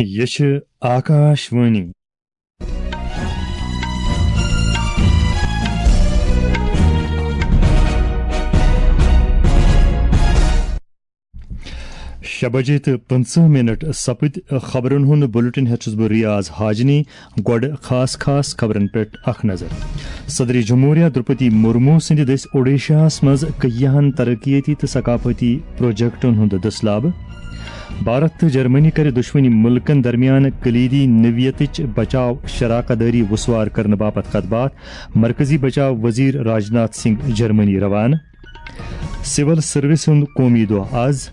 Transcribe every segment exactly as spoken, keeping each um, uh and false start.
یہِ چھِ آکاش وانی۔ شےٚ بجے تہٕ پٕنٛژٕہ منٹ سپٕدۍ۔ خبرن ہُنٛد بُلٹن ہٮ۪تھ چھُس بہٕ ریاض حاجنی۔ گۄڈٕ خاص خاص خبرن پٮ۪ٹھ اکھ نظر۔ صدر جمہوریہ درپتی مرمو سٕنٛدِ دٔسۍ اوڈیشاہس منٛز کیاہن ترقیتی تہٕ ثقافتی پروجیکٹن ہُنٛد دٔسلابہٕ۔ بھارت تہٕ جرمنی کَرِ دۄشوٕنی مُلکَن درمیان کلیدی نوعیتٕچ بچاو شراکت دٲری وُسوار کرنہٕ باپتھ کتھ باتھ۔ مرکزی بچاو وزیر راجناتھ سنگھ جرمنی روانہٕ۔ سول سروس ہُنٛد قومی دۄہ آز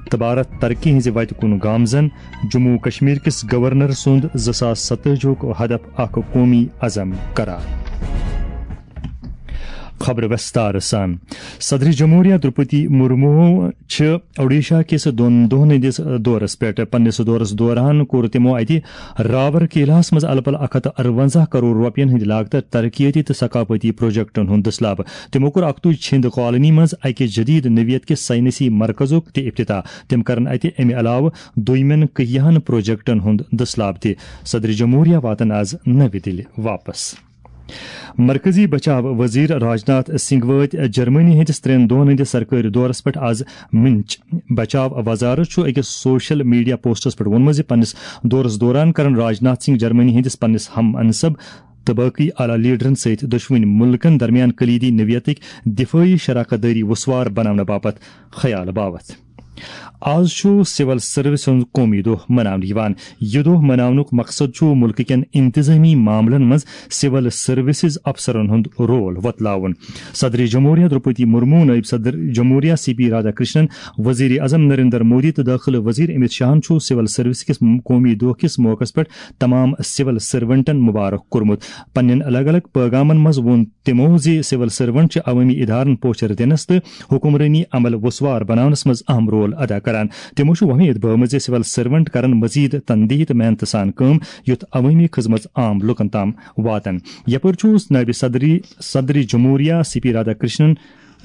تہٕ بھارت ترقی ہٕنٛزِ وتہِ کُن گامزن۔ جموں و کشمیر کِس گورنر سُنٛد زٕ ساس ستٲجی ہُک ہدف اکھ قومی عزم قرار۔ خبر وستار سان۔ صدر جمہوریہ درپتی مرمو چھِ اوڈیشہ کِس دۄن دۄہن ہٕنٛدِس دورس پٮ۪ٹھ۔ پننِس دورس دوران کوٚر تِمو اتہِ راور کیلاہس منٛز الہٕ پلہٕ اکھ ہتھ تہٕ ارونزاہ کرور رۄپین ہٕنٛدِ لاگتہٕ ترقیتی تہٕ ثقافتی پروجیکٹن ہُنٛد دٔسلابہٕ۔ تِمو کوٚر اکتُے چھِنٛد کالنی منٛز اکہِ جدید نوعیت کِس سائنسی مرکزُک تہِ افتتاح۔ تِم کرن اتہِ امہِ علاوٕ دویمٮ۪ن کیاہن پروجیکٹن ہُنٛد دٔسلابہٕ تہِ۔ صدر جمہوریہ واتن آز نوِ دِلہِ واپس۔ مرکزی بچاو وزیر راجناتھ سنگھ وٲتۍ جرمنی ہٕنٛدِس ترٛٮ۪ن دۄہن ہٕنٛدِس سرکٲرۍ دورس پٮ۪ٹھ آز مِنچ۔ بچاو وزارت چھُ أکِس سوشل میڈیا پوسٹس پٮ۪ٹھ ووٚنمُت زِ پننِس دورس دوران کرن راجناتھ سنگھ جرمنی ہٕنٛدِس پننِس ہم منصب تہٕ باقی اعلیٰ لیڈرن سۭتۍ دۄشوٕنۍ مُلکن درمیان کلیدی نوعیتٕکۍ دفٲعی شراکت دٲری وُسوار بناونہٕ باپتھ خیال باوتھ۔ آز چھُ سول سروس ہُنٛد قومی دۄہ مناونہٕ یِوان۔ یہِ دۄہ مناونُک مقصد چھُ مُلکہٕ کٮ۪ن انتظٲمی معاملن منٛز سول سروسز افسرن ہُنٛد رول وۄتلاوُن۔ صدر جمہوریہ درپتی مرمو، نائب صدر جمہوریہ سی پی رادھا کرشنن، وزیر اعظم نریندر مودی تہٕ دٲخلہٕ وزیر امت شاہن چھُ سول سروس کِس قومی دۄہ کِس موقعس پٮ۪ٹھ تمام سول سرونٹن مبارک کوٚرمُت۔ پننٮ۪ن الگ الگ پیغامن منٛز ووٚن تِمو زِ سول سرونٹ چھِ عوٲمی ادارن پوچھر دِنس تہٕ حکمرٲنی عمل وُسوار بناونس منٛز اہم رول ادا کران۔ تِمو چھُ وۄمید بٲومٕژ زِ سول سرونٹ کرن مزید تندیہی تہٕ محنتہٕ سان کٲم، یُتھ عوٲمی خدمت عام لوٗکن تام واتن۔ یپٲرۍ چھُ نائب صدری، صدر جمہوریہ سی پی رادھا کرشنن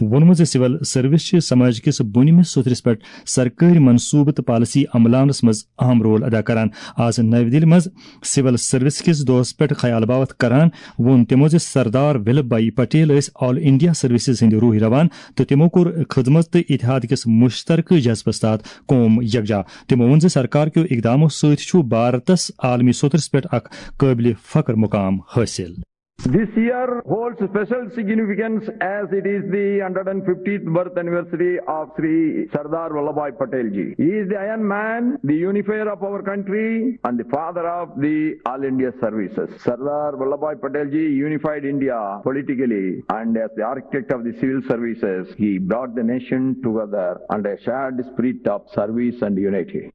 ووٚنمُت زِ سول سروس چھِ سماج کِس بُنیٲدی سوٚتھرِس پٮ۪ٹھ سرکٲرۍ منصوبہٕ تہٕ پالیسی عملاونس منٛز اہم رول ادا کران۔ آز نَوِ دِلہِ منٛز سول سروس کِس دۄہس پٮ۪ٹھ خیال باوتھ کران ووٚن تِمو زِ سردار ولبھ بھائی پٹیل ٲسۍ آل انڈیا سروسز ہٕنٛدۍ روحی روان تہٕ تِمو کوٚر خدمت تہٕ اتحاد کِس مشترکہٕ جذبس تحت قوم یکجا۔ تِمو ووٚن زِ سرکار کیو اقدامو سۭتۍ چھُ بھارتس عالمی سوٚتھرس پٮ۪ٹھ اکھ قٲبلِ فخر مقام حٲصِل۔ This year holds special significance as it is the hundred and fiftieth birth anniversary of Sri Sardar Vallabhbhai Patel ji. He is the Iron Man, the unifier of our country, and the father of the All India services. Sardar Vallabhbhai Patel ji unified India politically, and as the architect of the civil services, he brought the nation together under a shared spirit of service and unity.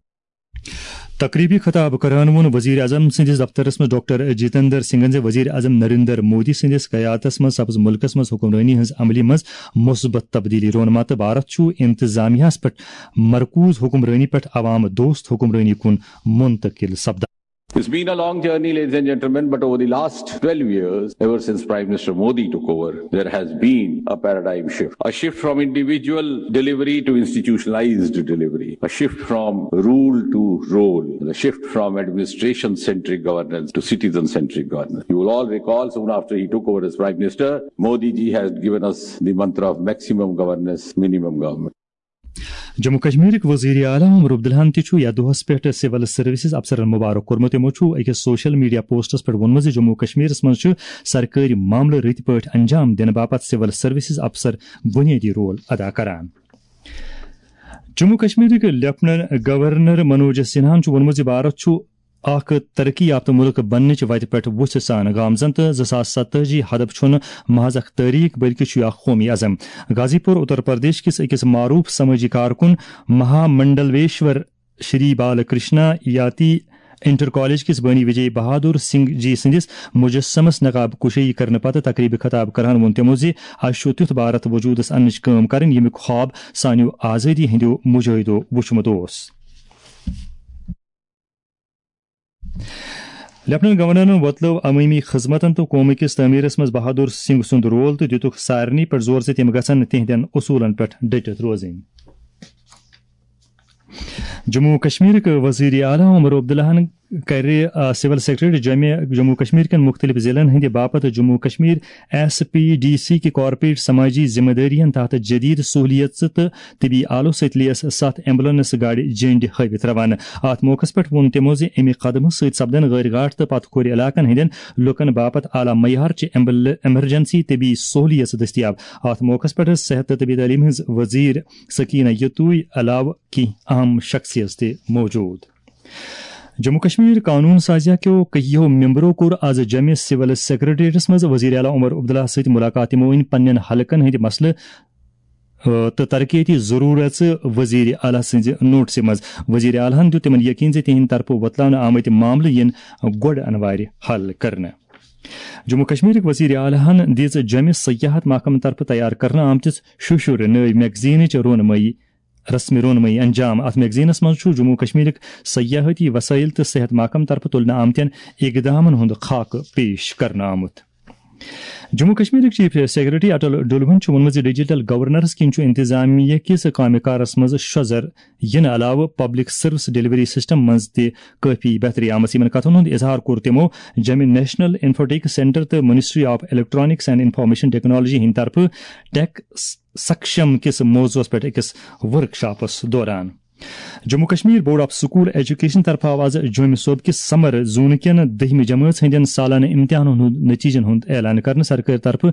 تقریبی خطاب کران ووٚن وزیر اعظم سٕنٛدِس دفترس منٛز doctor Jitendra سنگھن زِ وزیر اعظم نریندر مودی سٕنٛدِس قیادتس منٛز سپٕز مُلکس منٛز حکمرٲنی ہٕنٛز عملی منٛز مثبت تبدیلی۔ رونما تہٕ بھارت چھُ انتظامیہس پٮ۪ٹھ مرکوز حکمرٲنی پٮ۪ٹھ عوام دوست حکمرٲنی کُن منتقل سپدان۔ It's been a long journey, ladies and gentlemen, but over the last twelve years, ever since Prime Minister Modi took over, there has been a paradigm shift. A shift from individual delivery to institutionalized delivery. A shift from rule to role. A shift from administration-centric governance to citizen-centric governance. You will all recall, soon after he took over as Prime Minister, Modi ji has given us the mantra of maximum governance, minimum government. Jammu کشمیرٕکۍ وزیر اعلیٰ عمر عبداللہن تہِ چھُ یتھ دۄہس پٮ۪ٹھ سول services افسرن مبارک کوٚرمُت۔ تِمو چھُ أکِس سوشل میڈیا پوسٹس پٮ۪ٹھ ووٚنمُت زِ جموں کشمیرس منٛز چھُ سرکٲرۍ معاملہٕ رٕتۍ پٲٹھۍ انجام دِنہٕ باپتھ سول سروسز افسر بُنیٲدی رول ادا کران۔ جموں کشمیرٕکۍ لیفٹیننٹ گورنر منوج سنہاہن چھُ ووٚنمُت زِ بھارت چھُ اکھ ترقی یافتہٕ مُلک بننٕچ وتہِ پٮ۪ٹھ وُژھِ سان گامزن تہٕ زٕ ساس ستٲجی ہدف چھُنہٕ محض اکھ تٲریخ، بلکہِ چھُ یہِ اکھ قومی عزم۔ غازی پور اتر پردیش کِس أکِس معروف سمٲجی کارکُن مہا منڈلیشور شری بال کرشنا یاتی انٹر کالج کِس بٲنی وجے بہادر سنگھ جی سٕنٛدِس مجسمس نقاب کشٲیی کرنہٕ پتہٕ تقریبہِ خطاب کران ووٚن تِمو زِ اسہِ چھُ تیُتھ بھارت وجودس اننٕچ کٲم کرٕنۍ، ییٚمیُک خواب سانیو آزٲدی ہٕنٛدیو مجاہدو وُچھمُت اوس۔ لیفٹیننٹ گورنرن وۄتلٲو عوٲمی خدمتن تہٕ قومہٕ کِس تعمیرس منٛز بہادر سنگھ سُنٛد رول تہٕ دِتُکھ سارنٕے پٮ۪ٹھ زور زِ تِم گژھن تِہنٛدٮ۪ن اصوٗلن پٮ۪ٹھ ڈٔٹِتھ روزٕنۍ۔ جموں و کشمیرٕکۍ وزیر اعلیٰ عمر عبداللہن کرِ، آ، سول سیکرٹریٹ جمع جموں و کشمیر کٮ۪ن مُختٔلِف ضلعن ہٕنٛدِ باپتھ جموں و Kashmir S P D C کہِ کارپوریٹ سماجی ذمہ دٲرین تحت جدید سہولیژٕ تہٕ طبی آلو سۭتۍ لیس ستھ ایمبولینس گاڑِ جنڈِ ہٲوِتھ روانہٕ۔ اتھ موقعس پٮ۪ٹھ ووٚن تِمو زِ امہِ قدمہٕ سۭتۍ سپدن غٲرۍ گاٹھ تہٕ پتھ کھورِ علاقن ہٕنٛدٮ۪ن لوٗکن باپتھ اعلیٰ معیار چہِ ایمبل-، ایمرجنسی طبی سہولیژٕ دٔستیاب۔ اتھ موقعس پٮ۪ٹھ صحت تہٕ طبی تعلیٖم ہٕنٛز وزیر سکینہ یتوی علاوٕ کینٛہہ اہم شخصیژ تہِ موجود۔ جموں کشمیر قانون سازیہ کیو کہیو ممبرو کوٚر از جمع سول سیکرٹریٹس منٛز وزیر اعلیٰ عمر عبداللہ سۭتۍ ملاقات۔ تِمو أنۍ پننٮ۪ن حلقن ہٕنٛدۍ مسلہٕ، آ، تہٕ ترقیتی ضروٗرژٕ وزیر اعلیٰ سٕنٛزِ نوٹسہِ منٛز۔ وزیر اعلیٰ ہن دیُت تِمن یقین زِ تِہنٛدِ طرفہٕ وۄتلاونہٕ آمٕتۍ معاملہٕ یِن گۄڈٕ انوارِ حل کرنہٕ۔ جموں کشمیرٕکۍ وزیر اعلیٰ ہن دِژ جمع سیاحت محکمہٕ طرفہٕ تیار کرنہٕ آمتِس شُشُر نٲوۍ میگزینٕچ رونمٲیی، رسمی رونمٲیی انجام۔ اتھ میگزینس منٛز چھُ جموں کشمیرٕکۍ سیاحتی وسائل تہٕ صحت محکمہٕ طرفہٕ تُلنہٕ آمتٮ۪ن اقدامن ہُنٛد خاکہٕ پیش کرنہٕ آمُت۔ جموں کشمیرٕکۍ چیف سیکرٹری اٹل ڈلوہن چھُ ووٚنمُت زِ ڈیجیٹل گورننس کِنۍ چھُ انتظامیہ کِس کامہِ کارس منٛز شۄزر یِنہٕ علاوٕ پبلک سروس ڈیلیوری سسٹم منٛز تہِ کٲفی بہتری آمٕژ۔ یِمن کتھن ہُنٛد اظہار کوٚر تِمو جمہِ نیشنل انفوٹیک سینٹر تہٕ ministry of electronics and information technology ہٕنٛدِ طرفہٕ ٹیک سکشم کِس موضوعس پٮ۪ٹھ أکِس ورکشاپس دوران۔ Jammu Kashmir board of school education طرفہٕ آو از جوٚمہِ صوبہٕ کِس سمر زون کٮ۪ن دٔہمہِ جمٲژ ہٕنٛدٮ۪ن سالانہٕ امتحانن ہُنٛد نتیجن ہُنٛد اعلان کرنہٕ۔ سرکٲرۍ طرفہٕ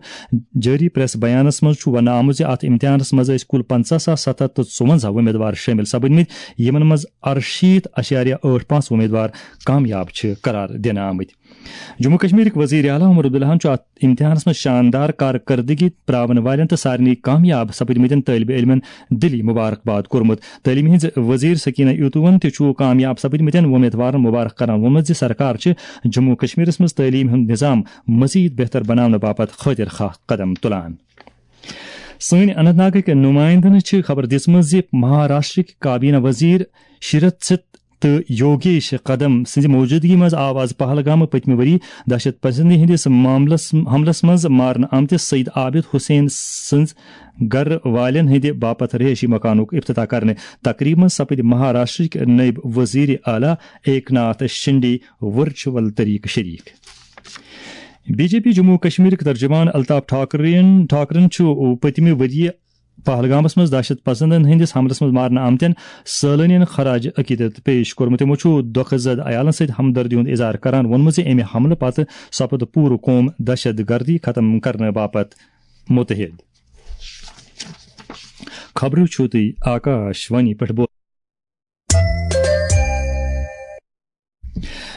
جٲری پریس بیانس منٛز چھُ وننہٕ آمُت زِ اتھ امتحانس منٛز ٲسۍ کُل پنژاہ ساس ستھ ہتھ تہٕ ژُونزہ وۄمیدوار شٲمِل سپٕدمٕتۍ، یِمن منٛز ارشیٖتھ اَشاریہ ٲٹھ پانٛژھ وۄمیدوار کامیاب چھِ قرار دِنہٕ آمٕتۍ۔ جموں کشمیرٕکۍ وزیر اعلیٰ عمر عبداللہن چھُ اتھ امتحانس منٛز شاندار کارکردگی پراون والٮ۪ن تہٕ سارنٕے کامیاب سپٕدمٕتٮ۪ن طٲلبِ علمن دِلی مبارکباد کوٚرمُت۔ تعلیٖم ہٕنٛز وزیر سکینہ یوتوون تہِ چھُ کامیاب سپٕدمٕتٮ۪ن وۄمیدوارن مبارک کران ووٚنمُت زِ سرکار چھِ جموں کشمیرس منٛز تعلیٖم ہُنٛد نظام مزید بہتر بناونہٕ باپتھ خٲطر خواہ قدم تُلان۔ سٲنۍ اننت ناگٕکۍ نُمایندن چھِ خبر دِژمٕژ زِ مہاراشٹرٕکۍ کابینہ وزیر شیرتھ تہٕ یوگیش قدم سٕنٛزِ موجودگی منٛز آو از پہلگام پٔتمہِ ؤری دہشت پسندی ہٕنٛدِس معاملس، حملس منٛز مارنہٕ آمتِس سعید عابد حسین سٕنٛز گرٕ والٮ۪ن ہٕنٛدِ باپتھ رہٲیشی مکانُک افتتاح کرنہٕ۔ تقریبہِ منٛز سپٕدۍ مہاراشٹرٕکۍ نٲیِب وزیر اعلیٰ ایکناتھ شنڈے ورچوئل طریقہٕ شریک۔ بی جے پی جموں و کشمیرٕکۍ ترجمان الطاف ٹھاکرین، ٹھاکرن چھُ پٔتمہِ ؤرۍ یہِ پہلگامس منٛز دہشت پسندن ہٕنٛدِس حملس منٛز مارنہٕ آمتٮ۪ن سٲلٲنین خراج عقیدت پیش کوٚرمُت۔ تِمو چھُ دۄکھٕ زد عیالن سۭتۍ ہمدردی ہُنٛد اظہار کران ووٚنمُت زِ امہِ حملہٕ پتہٕ سپُد پوٗرٕ قوم دہشت گردی ختم کرنہٕ باپتھ متحد۔ خبرٕ چھِو تُہۍ آکاش وانی پٮ۪ٹھ بوزان۔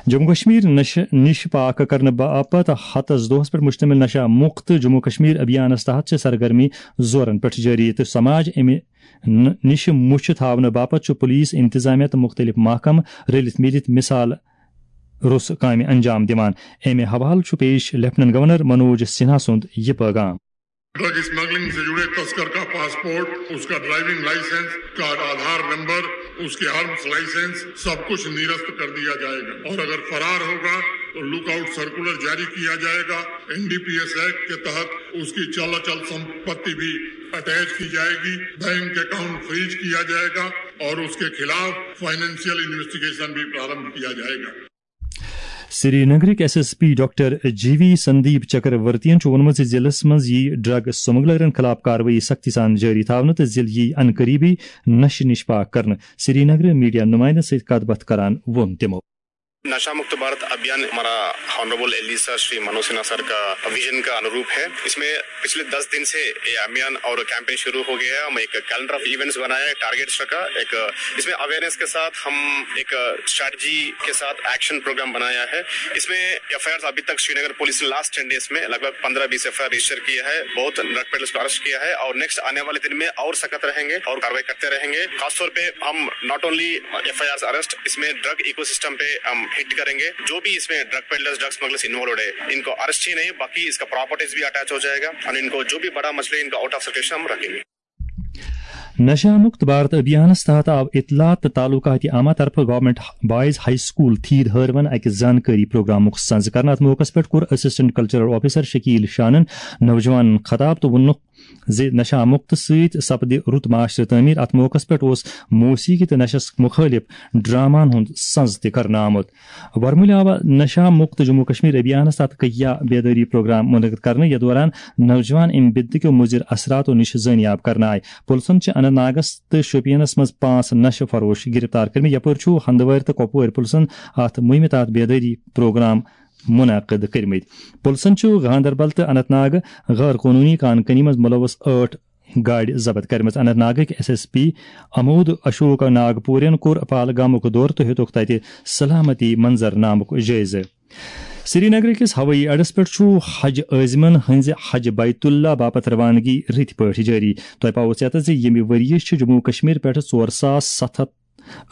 جموں کشمیر نشہٕ نِش پاک کرنہٕ باپتھ ہتس دۄہس پٮ۪ٹھ مشتمل نشہ مکت جموں کشمیر ابھیانس تحت چھِ سرگرمی زورن پٮ۪ٹھ جٲری تہٕ سماج امہِ ن-، نِش مُچھ تھاونہٕ باپتھ چھُ پولیس، انتظامیہ تہٕ مختلف محکمہٕ رٔلِتھ مِلِتھ مثال روٚس کامہِ انجام دِوان۔ امہِ حوالہٕ چھُ پیش لیفٹیننٹ گورنر منوج سنہا سُنٛد یہِ پیغام۔ ڈرگ اسمگلنگ سے جڑے تسکر کا پاسپورٹ، اس کا ڈرائیونگ لائسنس، اس کا آدھار نمبر، اس کے آرمز لائسنس، سب کچھ نرست کر دیا جائے گا اور اگر فرار ہوگا تو لک آؤٹ سرکولر جاری کیا جائے گا۔ N D P S act کے تحت اس کی چل اچل سمپتی بھی اٹیچ کی جائے گی، بینک اکاؤنٹ فریز کیا جائے گا اور اس کے خلاف فائنینشیل انویسٹیگیشن بھی پرارمبھ کیا جائے گا۔ سری نگرٕکۍ ایس ایس پی ڈاکٹر جی وی سندیپ چکرورتین چھُ ووٚنمُت زِ ضلعس منٛز یِیہِ ڈرگ سمگلرن خلاف کاروٲیی سختی سان جٲری تھاونہٕ تہٕ ضلعہٕ یِیہِ انقریبی نشہٕ نِش پاک کرنہٕ۔ سری نگر میڈیا نمائندن سۭتۍ کتھ باتھ کران ووٚن تِمو۔ نشہ مکت بھارت ابھیان ہمارا ہانریبل ایل ڈی سر شری منوج سنہا سر کا ویژن کا انوروپ ہے۔ اس میں پچھلے دس دن سے یہ ابھیان اور کیمپین شروع ہو گیا ہے۔ ہم ایک کیلنڈر آف ایونٹس بنایا ہے، ٹارگیٹس رکھا، ایک اس میں اویئرنیس کے ساتھ ہم ایک اسٹریٹجی کے ساتھ ایکشن پروگرام بنایا ہے۔ اس میں ایف آئی آر ابھی تک شری نگر پولیس نے لاسٹ ٹین ڈیز میں لگ بھگ پندرہ base F I R register کیا ہے، بہت ڈرگ پیڈلرس کو اریسٹ کیا ہے اور نیکسٹ آنے والے دن میں اور سخت رہیں گے اور کاروائی کرتے رہیں گے۔ خاص طور پہ ہم not only F I R arrest, اس میں ڈرگ ایکو سسٹم پہ ہم ہٹ کریں گے۔ جو بھی اس میں ڈرگ پیڈلرس، ڈرگ اسمگلرس انوالوڈ ہے، ان کو اریسٹ ہی نہیں، باقی اس کا پراپرٹیز بھی اٹیچ ہو جائے گا اور ان کو جو بھی بڑا مچھلی ان کو آؤٹ آف سرکولیشن ہم رکھیں گے۔ نشہ مکت بھارت ابھیانس تحت آو اطلاعات تہٕ تعلقات عامہ طرفہٕ گورنمنٹ بوائز ہائی سکول تھید ہٲروَن اکہِ زانکٲری پروگرامُک سنز کرنہٕ۔ اتھ موقعس پٮ۪ٹھ کوٚر اسسٹنٹ کلچرل آفیسر شکیل شانن نوجوانن خطاب تہٕ ووٚنُکھ زِ نشہ مُکت سۭتۍ سپدِ رُت معاشرٕ تعمیٖر۔ اتھ موقعس پٮ۪ٹھ اوس موسیقی تہٕ نشس مُخٲلف ڈراماہن ہُنٛد سنز تہِ کرنہٕ آمُت۔ ورمُلہِ آو نشہ مُکت جموں کشمیر ابھیانس تحت کہیا بیدٲری پروگرام منعقد کرنہٕ، یتھ دوران نوجوان امہِ بدعتٕکیو مُضر اثراتو نِش زٲنیاب کرنہٕ آیہِ۔ پُلسن چھِ اننت ناگس تہٕ شوپینس منٛز پانٛژھ نشہٕ فروش گرفتار کٔرمٕتۍ۔ یپٲرۍ چھُ ہندوارِ تہٕ کۄپوٲرۍ پُلسن اتھ مُہِمہِ تحت بیدٲری پروگرام منعقد کٔرمٕتۍ۔ پُلسن چھُ گاندربل تہٕ اننت ناگ غٲر قونوٗنی کان کٲنی منٛز مُلوث ٲٹھ گاڑِ ضبط کٔرمٕژ۔ اننت ناگٕکۍ ایس ایس پی امود اشوک ناگپورین کوٚر پہلگامُک دورٕ تہٕ ہیوٚتُکھ تَتہِ سلامتی منظرنامُک جٲیزٕ۔ سرینگر کِس ہوٲیی اڈس پٮ۪ٹھ چھُ حج عٲزمن ہٕنٛزِ حج بیت اللہ باپتھ روانگی رٕتۍ پٲٹھۍ جٲری۔ تۄہہِ پاوو ژیتس زِ ییٚمہِ ؤرۍ یہِ چھِ جموں کشمیر پٮ۪ٹھ ژور ساس ستھ ہتھ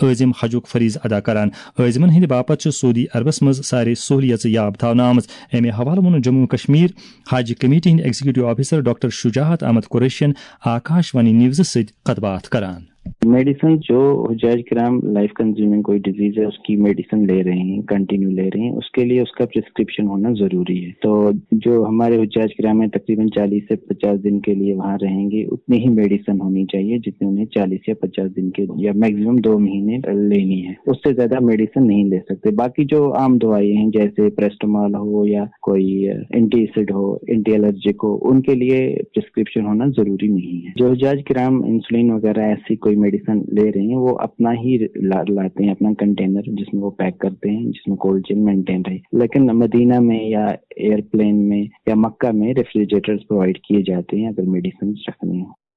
عٲزم حجُک فریضہٕ ادا کران۔ عٲزمن ہٕنٛدِ باپتھ چھِ سعودی عربس منٛز سارے سہولیژٕ یاب تھاونہٕ آمٕژ۔ امہِ حوالہٕ ووٚن جموں کشمیر حج کمیٹی ہٕنٛدۍ ایگزیکٹو آفیسر ڈاکٹر شجاعت احمد قریشین آکاش وانی نیوزس سۭتۍ کتھ باتھ کران۔ میڈیسن، جو حجاج کرام لائف کنزیومنگ کوئی ڈیزیز ہے، اس کی میڈیسن لے رہے ہیں، کنٹینیو لے رہے ہیں، اس کے لیے اس کا پرسکرپشن ہونا ضروری ہے۔ تو جو ہمارے حجاج کرام ہیں، تقریباً چالیس سے پچاس دن کے لیے وہاں رہیں گے، اتنی ہی میڈیسن ہونی چاہیے جتنی انہیں چالیس یا پچاس دن کے یا میکسیمم دو مہینے لینی ہے۔ اس سے زیادہ میڈیسن نہیں لے سکتے۔ باقی جو عام دوائیں ہیں، جیسے پیراسٹامال ہو یا کوئی اینٹی ایسڈ ہو، اینٹی الرجک ہو، ان کے لیے پرسکرپشن ہونا ضروری نہیں ہے۔ جو حجاج کرام انسولین وغیرہ ایسی کوئی میڈیسن لے رہے ہیں، وہ اپنا ہی لا- لاتے ہیں، اپنا کنٹینر جس میں وہ پیک کرتے ہیں، جس میں کولڈ چین مینٹین رہے۔ لیکن مدینہ میں یا ایئرپلین میں یا مکہ میں ریفریجریٹرز پرووائڈ کیے جاتے ہیں اگر میڈیسن رکھنی ہو۔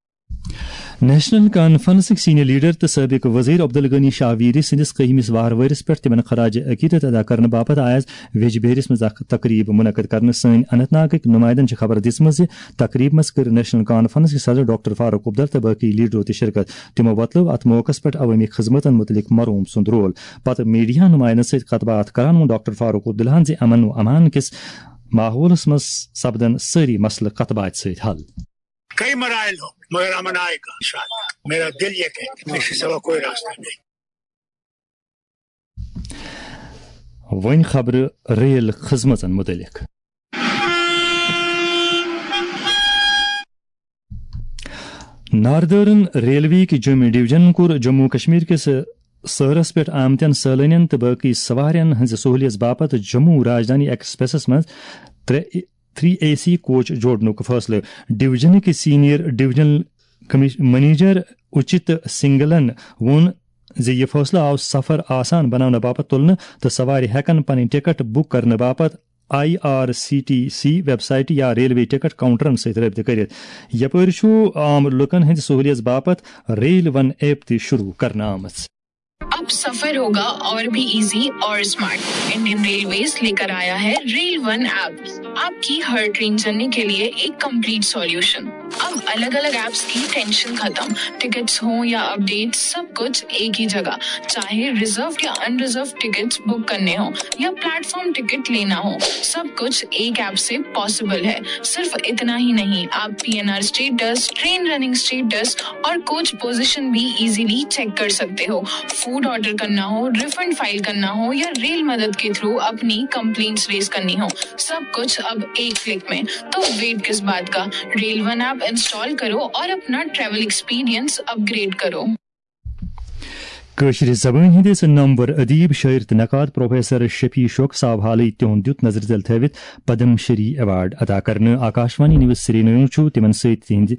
نیشنل کانفرنسٕکۍ سینئر لیڈر تہٕ سٲبِق وزیر عبدالغنی شاہ ویری سٕنٛدِس کٔہمِس وہروٲرِس پٮ۪ٹھ تِمن خراج عقیدت ادا کرنہٕ باپتھ آیہِ آز ویجبیہرِس منٛز اکھ تقریب منعقد کرنہٕ۔ سٲنۍ اننت ناگٕکۍ نمایندن چھِ خبر دِژمٕژ زِ تقریب منٛز کٔر نیشنل کانفرنس کہِ صدر ڈاکٹر فاروق عبداللہ تہٕ باقی لیڈرو تہِ شرکت۔ تِمو وۄتلٲو اتھ موقعس پٮ۪ٹھ عوٲمی خدمتن متعلق مرحوم سُنٛد رول۔ پتہٕ میڈیاہن نمایندن سۭتۍ کتھ باتھ کران ووٚن ڈاکٹر فاروق عبداللہن زِ امن و امان کِس ماحولس منٛز سپدن سٲری مسلہٕ کتھ باتھِ سۭتۍ حل۔ کئی مراحل ہوں، مگر امن آئے گا انشاءاللہ۔ میرا دل یہ کہتا ہے، اس کے سوا کوئی راستہ نہیں۔ وۄنۍ خبرٕ ریل خدمژن متعلق۔ ناردرن ریلوے کہِ جوٚمہِ ڈویژن کوٚر جموں کشمیر کِس سٲرس پٮ۪ٹھ آمتٮ۪ن سٲلٲنٮ۪ن تہٕ باقی سوارٮ۪ن ہٕنٛزِ سہولیژ باپتھ جموں راجدھانی ایکسپریسس منٛز ترٛےٚ تھری اے سی کوچ جوڑنُک فٲصلہٕ۔ ڈویژنٕکۍ سینئر ڈویژنل کمش- منیجر اُچِت سنگلن ووٚن زِ یہِ فٲصلہٕ آو سفر آسان بناونہٕ باپتھ تُلنہٕ تہٕ سوارِ ہٮ۪کن پنٕنۍ ٹکٹ بُک کرنہٕ باپتھ I R C T C website یا ریلوے ٹکٹ کاؤنٹرن سۭتۍ رٲبطہٕ کٔرِتھ۔ یپٲرۍ چھُ عام لوٗکن ہٕنٛدِ سہولیژ باپتھ ریل ون ایپ تہِ شروع کرنہٕ آمٕژ۔ अब सफर होगा और भी इजी और स्मार्ट। इंडियन रेलवेज लेकर आया है रेल वन ऐप, आपकी हर ट्रेन जर्नी के लिए एक कंप्लीट सॉल्यूशन। अब अलग अलग ऐप्स की टेंशन खत्म, टिकट्स हों या अपडेट्स, सब कुछ एक ही जगह। चाहे रिजर्व या अनरिजर्व टिकट्स बुक करने हो या प्लेटफॉर्म टिकट लेना हो, सब कुछ एक ऐप से पॉसिबल है। सिर्फ इतना ही नहीं, आप PNR status, train running status और कोच पोजीशन भी इजीली चेक कर सकते हो। फूड ऑर्डर करना हो, रिफंड फाइल करना हो या रेल मदद के थ्रू अपनी कंप्लेंट्स रेज करनी हो, सब कुछ अब एक क्लिक में। तो वेट किस बात का, रेल वन ऐप इंस्टॉल करो और अपना ट्रैवल एक्सपीरियंस अपग्रेड करो। کٲشرِ زبٲنۍ ہٕنٛدِس نامور ادیب، شٲعر تہٕ نقاد پروفیسر شفیع شوق صٲب حالٕے تِہُنٛد دیُت نظرِ تل تھٲوِتھ پدم شری ایوارڈ عطا کرنہٕ۔ آکاشوانی نیوز سرینگر چھُ تِمن سۭتۍ تِہنٛدِ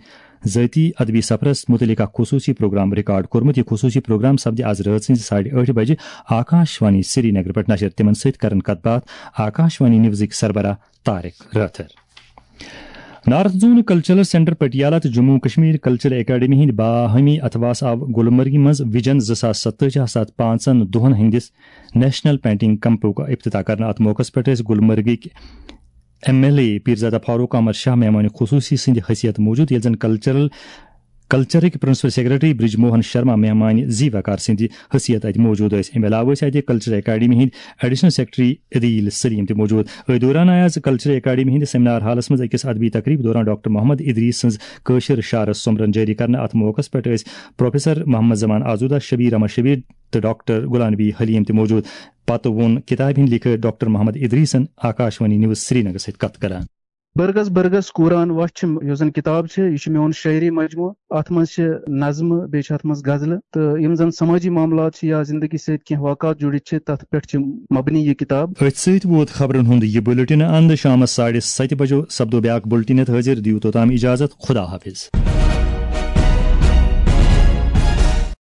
ذٲتی ادبی سفرس متعلق اکھ خصوٗصی پروگرام ریکارڈ کوٚرمُت۔ یہِ خصوٗصی پروگرام سپدِ از رٲژ ہٕنٛزِ ساڑِ ٲٹھِ بجہِ آکاشوانی سرینگر پٮ۪ٹھ نشر۔ تِمن سۭتۍ کرن کتھ باتھ آکاشوانی نیوزٕکۍ سربراہ طارق رٲتھر۔ نارتھ زون کلچرل سینٹر پٹیالہ تہٕ جموں کشمیر کلچرل اکیڈمی ہٕنٛدۍ باہمی اتھواس آو گلمرگہِ منٛز ویژن زٕ ساس ستٲجی ہس اتھ پانٛژن دۄہن ہٕنٛدِس نیشنل پینٹنگ کیمپُک افتتاح کرنہٕ۔ اتھ موقعس پٮ۪ٹھ ٲسۍ گلمرگٕکۍ M L A Pirzada Farooq Ahmad Shah مہمان خصوصی سٕنٛدِ حیثیت موجود، ییٚلہِ زن کلچرل کلچرٕکۍ پرنسپل سیکرٹری برج موہن شرما مہمان زی وقار سٕنٛدِ حیثیت اتہِ موجود ٲسۍ۔ امہِ علاوٕ ٲسۍ اتہِ کلچرل اکیڈمی ہٕنٛدۍ ایڈیشنل سیکرٹری عدیل سلیم تہِ موجود۔ أتھۍ دوران آیہِ آز کلچرل اکیڈمی ہٕنٛدِس سیمینار ہالس منٛز أکِس ادبی تقریب دوران ڈاکٹر محمد ادریس سٕنٛز کٲشِر شعرس سومبرن جٲری کرنہٕ۔ اتھ موقعس پٮ۪ٹھ ٲسۍ پروفیسر محمد زمان آزودہ، شبیر احمد شبیر تہٕ ڈاکٹر غلام نبی حلیم تہِ موجود۔ پتہٕ ووٚن کتابہِ ہٕنٛدۍ لیکھٲرۍ ڈاکٹر محمد ادریسن آکاشوانی نیوز سرینگر سۭتۍ کتھ کران۔ برگس برگس قرآن وچھ چھِ، یۄس زن کتاب چھِ، یہِ چھِ میون شٲعری مجموعہٕ۔ اتھ منٛز چھِ نظمہٕ، بیٚیہِ چھِ اتھ منٛز غزلہٕ، تہٕ یِم زن سمٲجی معاملات چھِ یا زندگی سۭتۍ کینٛہہ واقعات جُڑِتھ چھِ، تتھ پٮ۪ٹھ چھِ مبنی یہِ کتاب۔ أتھۍ سۭتۍ ووت خبرن ہُنٛد یہِ بُلٹن اند۔ شامس ساڑِ ستہِ بجو سپدو بیاکھ بُلٹن حٲضِر۔ دِیِو توٚتام اجازت، خدا حافظ۔